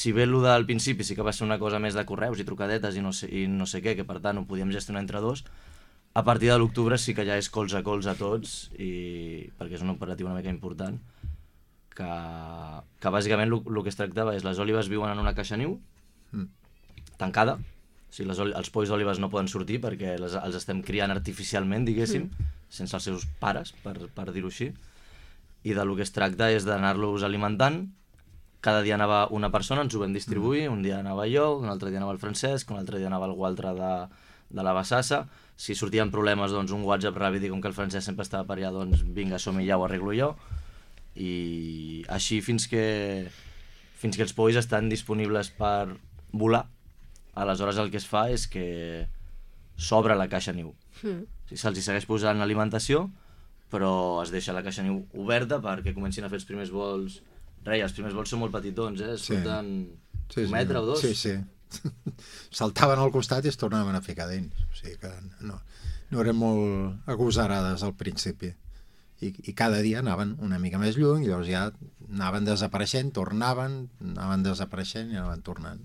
si bé el del principi sí que va ser una cosa més de correus i trucadetes i no sé què, que per tant ho podíem gestionar entre dos, a partir de l'octubre sí que ja és colze a tots, perquè és una operativa una mica important, que bàsicament el que es tractava és les òlibes viuen en una caixa niu, tancada, o sigui, els polls d'òlibes no poden sortir perquè els estem criant artificialment, diguéssim, sense els seus pares, per dir-ho així, i del que es tracta és d'anar-los alimentant. Cada dia anava una persona, ens ho vam distribuir, un dia anava jo, un altre dia anava el Francesc, un altre dia anava algú altre de la Bassassa. Si sortien problemes, doncs un WhatsApp ràpid, i com que el Francesc sempre estava per allà, doncs vinga, som-hi, ja ho arreglo jo. I així fins que els polls estan disponibles per volar. Aleshores el que es fa és que s'obre la caixa niu. Se'ls segueix posant alimentació, però es deixa la caixa niu oberta perquè comencin a fer els primers vols. Els primers vols són molt petitons, surten un metre o dos. Sí. Saltaven al costat i es tornaven a ficar dins. O sigui que no eren molt agosarades al principi. I cada dia anaven una mica més lluny, i llavors ja anaven desapareixent, tornaven, anaven desapareixent i anaven tornant.